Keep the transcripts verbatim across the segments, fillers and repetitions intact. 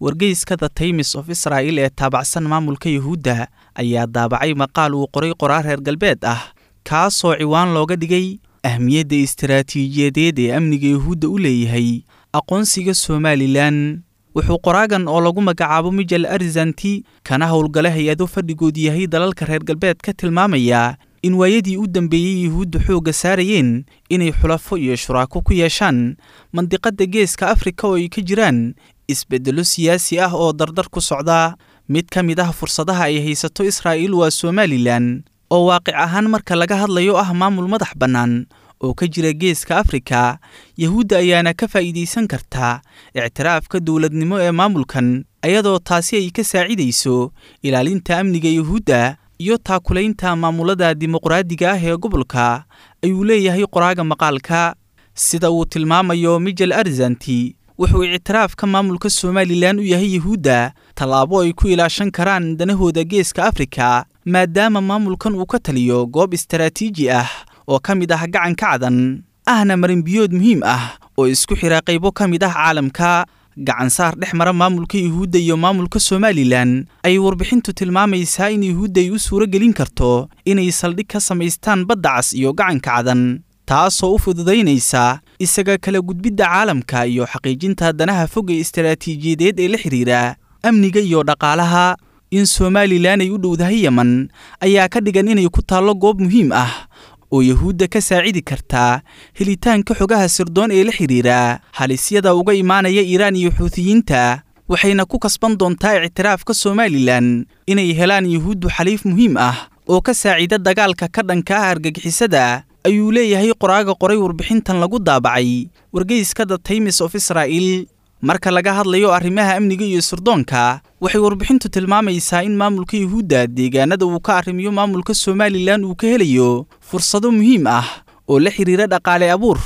Wargeyska The Times of Israel ee taabacsan maamulka Yuhuudda ayaa daabacay maqaal uu qoray qoraar reer galbeed ah, kaasoo ciwaan looga dhigay ahmiyadda istaraatiijiyadeed ee amniga Yuhuudda u leeyahay aqoonsiga Somalilan. Wuxuu qoraagan oo lagu magacaabo Mijal Arzanti, kana howlgala hay-ado fadhigood yahay dalalka reer galbeed, ka tilmaamaya in waayadii u dambeeyey Yuhuuddu xoogga saarayeen inay xulafo iyo shuraako ku yeeshaan mandiqadda Geeska Afrika oo ay ka jiraan isbeddello siyaasi ah oo dardar ku socda. Mid ka mid ah fursadaha ay haysato Israa'iil waa Somalilan, oo waaqic ahaan marka laga hadlayo ah maamul madax bannaan oo ka jira Geeska Afrika. Yahuudda ayaana ka faa'iidaysan kartaa ictiraafka dowladnimo ee maamulkan, ayadoo taasi ay ka saacidayso ilaalinta amniga Yuhuudda iyo taakulaynta maamulada dimuqraadiga ah ee gobolka, ayuu leeyahay qoraaga maqaalka. Sida uu tilmaamayo Mijal Arzanti, wuxuu ictiraafka maamulka Somalilan u yahay Yuhuudda tallaabo ay ku ilaashan karaan danahooda Geeska Afrika, maadaama maamulkan uu ka taliyo goob istaraatiiji ah oo ka mid ah Gacanka Cadan, ahna marinbiyood muhiim ah oo isku xira qaybo ka mid ah caalamka. Gacansaar dhex mara maamulka Yuhuudda iyo maamulka Somalilan ayay warbixintu tilmaamaysaa in Yuhuudda ay u suuro gelin karto inay saldhig ka samaystaan Badda Cas iyo Gacanka Cadan, taasoo u fududaynaysa isaga kala gudbidda caalamka iyo xaqiijinta danaha fog ee istaraatiijiyadeed ee la xiriira amniga iyo dhaqaalaha. In Somalilan ay u dhowdahay Yemen ayaa ka dhigan inay ku taallo goob muhiim ah oo Yuhuudda ka saacidi kartaa helitaanka xogaha sirdoon ee la xiriira halisyada uga imaanaya Iiraan iyo Xuutiyiinta, waxayna ku kasban doontaa ictiraafka Somalilan inay helaan Yuhuuddu xaliif muhiim ah oo ka saacida dagaalka ka dhanka ah argagixisada, ayuu leeyahay qoraaga qoray warbixintan lagu daabacay wargeyska The Times of Israel. Marka laga hadlayo arrimaha amniga iyo sirdoonka, waxay warbixintu tilmaamaysaa in maamulka Yuhuudda deegaanada uu ka arrimiyo maamulka Somalilan uu ka helayo fursado muhiim ah oo la xiriira dhaqaale abuur,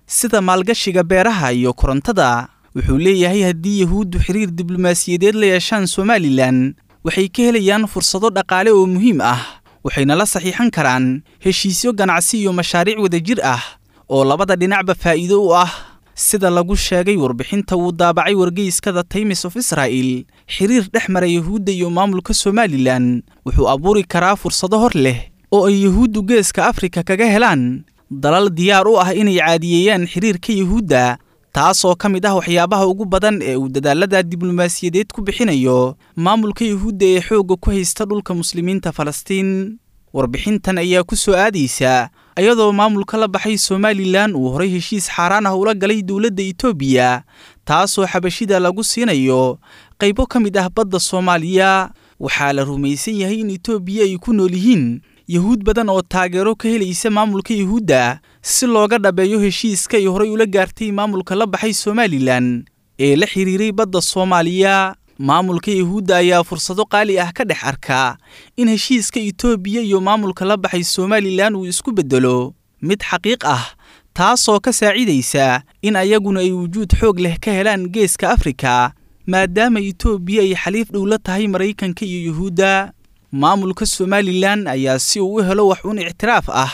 sida maalgashiga beeraha iyo korontada. Wuxuu leeyahay haddii Yuhuuddu xiriir diblomaasiyadeed la yeeshaan Somalilan, waxay ka helayaan fursado dhaqaale oo muhiim ah, waxayna la saxiixan karaan heshiisyo ganacsi iyo mashaariic wadajir ah oo labada dhinacba faa'iido u ah. Sida lagu sheegay warbixinta uu daabacay wargeyska The Times of Israel, xiriir dhex mara Yuhuudda iyo maamulka Somalilan wuxuu abuuri karaa fursado hor leh oo ay Yuhuuddu Geeska Afrika kaga helaan dalal diyaar u ah inay caadiyeeyaan xiriirka Yuhuudda, taasoo ka mid ah waxyaabaha ugu badan ee uu dadaalada diblomaasiyadeed ku bixinayo maamulka Yuhuudda ee xoogga ku haysta dhulka muslimiinta Falastiin. Warbixintan ayaa ku soo aadaysa ayadoo maamulka la baxay Somalilan uu horay heshiis xaaraan ah ula galay dowladda Itoobiya, taasoo xabashida lagu siinayo qaybo ka mid ah badda Soomaaliya. Waxaa la rumaysan yahay in Itoobiya ay ku nool yihiin Yuhuud badan oo taageero ka helaysa maamulka Yuhuudda si looga dhabeeyo heshiiska ay horay ula gaartay maamulka la baxay Somalilan ee la xiriiray badda Soomaaliya. Maamulka Yuhuudda ayaa fursado qaali ah ka dhex arka in heshiiska Itoobiya iyo maamulka la baxay Somalilan uu isku beddelo mid xaqiiq ah, taasoo ka saacidaysa in ayaguna ay wujuud xoog leh ka helaan Geeska Afrika, maadaama Itoobiya ay xaliif dhow la tahay Maraykanka iyo Yuhuudda. Maamulka Somalilan ayaa si uu u helo wax uun ictiraaf ah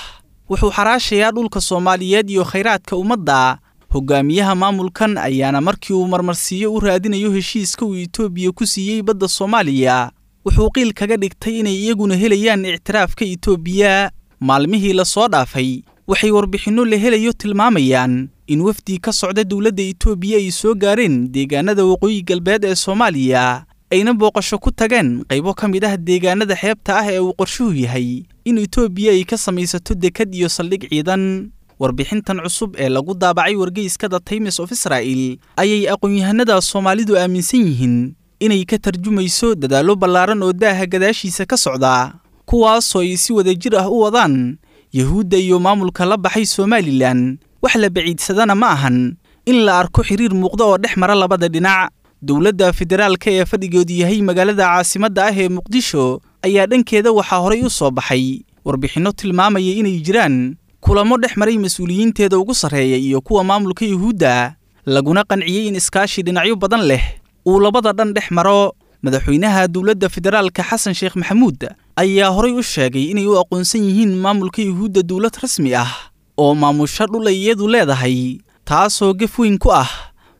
wuxuu xaraashayaa dhulka Soomaaliyeed iyo khayraadka ummadda. Hogaamiyaha maamulkan ayaana markii uu marmarsiiyo u raadinayo heshiiska uu Itoobiya ku siiyey badda Soomaaliya, wuxuu qiil kaga dhigtay inay iyaguna helayaan ictiraafka Itoobiya. Maalmihii la soo dhaafay waxay warbixinno la helayo tilmaamayaan in wafdi ka socda dowladda Itoobiya ay soo gaareen deegaanada waqooyi galbeed ee Soomaaliya, ayna booqasho ku tageen qaybo ka mid ah deegaanada xeebta ah ee uu qorshuhu yahay in Itoobiya ay ka samaysato dekad iyo saldhig ciidan. Warbixintan cusub ee lagu daabacay wargeyska The Times of Israel ayay aqoon-yahanada Soomaalidu aaminsan yihiin inay ka tarjumayso dadaallo ballaaran oo daaha gadaashiisa ka socda, kuwaasoo ay si wadajir ah u wadaan Yuhuudda iyo maamulka la baxay Somalilan. Wax la baciidsadana ma ahan in la arko xiriir muuqda oo dhex mara labada dhinac. Dowladda federaalka ee fadhigeedu yahay magaalada caasimadda ah ee Muqdisho ayaa dhankeeda waxaa horay u soo baxay warbixinno tilmaamaya inay jiraan kulamo dhex maray mas-uuliyiinteeda ugu sarreeya iyo kuwa maamulka Yuhuudda, laguna qanciyey in iskaashi dhinacyo badan leh uu labada dhan dhex maro. Madaxweynaha dowladda federaalka Xasan Sheekh Maxamuud ayaa horay u sheegay inay u aqoonsan yihiin maamulka Yuhuudda dowlad rasmi ah oo maamusha dhul ay iyadu leedahay, taasoo gef weyn ku ah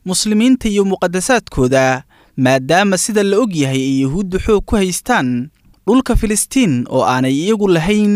muslimiinta iyo muqadasaadkooda, maadaama sida la og yahay ay yuhuuddu xoog ku haystaan dhulka Filistiin oo aanay iyagu lahayn.